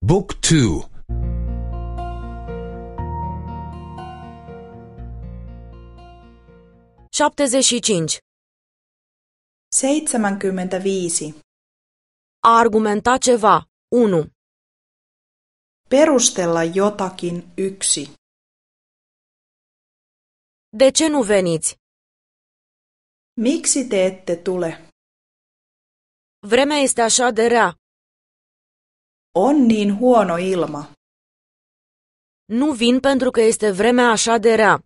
Book 2 75. 75. A argumenta ceva. 1. Perustella jotakin yksi. De ce nu veniți? Miksi te ette tule? Vremea este așa de rea. On niin huono ilma. Nu vin pentru că este vremea așa de rea.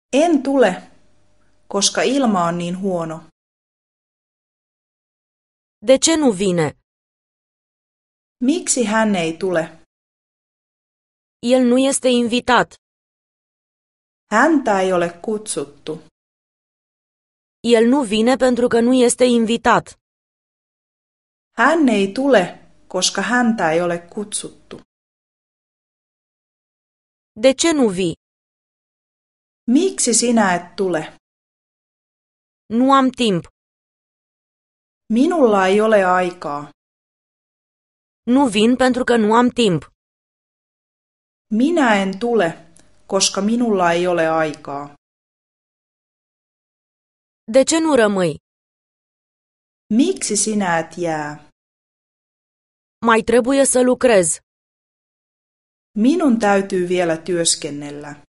En tule, koska ilma on niin huono. De ce nu vine? Miksi hän ei tule? El nu este invitat. Häntä ei ole kutsuttu. El nu vine pentru că nu este invitat. Hän ei tule, koska häntä ei ole kutsuttu. De ce nu vii? Miksi sinä et tule? Nu am timp. Minulla ei ole aikaa. Nu vin pentru că nu am timp. Minä en tule, koska minulla ei ole aikaa. De ce nu rămâi? Miksi sinä et jää? Mai trebuie să lucrez. Minun täytyy vielä työskennellä.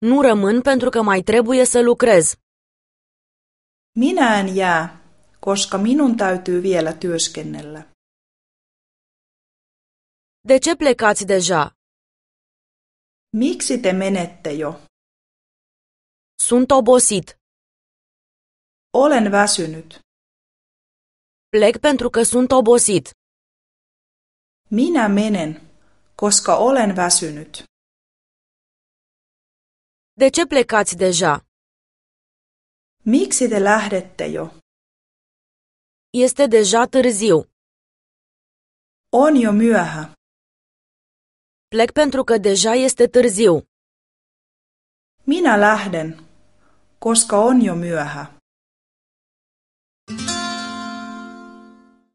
Nu rămân pentru că mai trebuie să lucrez. Minä en jää, koska minun täytyy vielä työskennellä. De ce plecați deja? Miksi te menette jo? Sunt obosit. Olen väsynyt. Plec pentru că sunt obosit. Minä menen, koska olen väsynyt. De ce plecați deja? Miksi te lähdette jo? Este deja târziu. On jo myöhä. Plec pentru că deja este târziu. Minä lähden, koska on jo myöhä.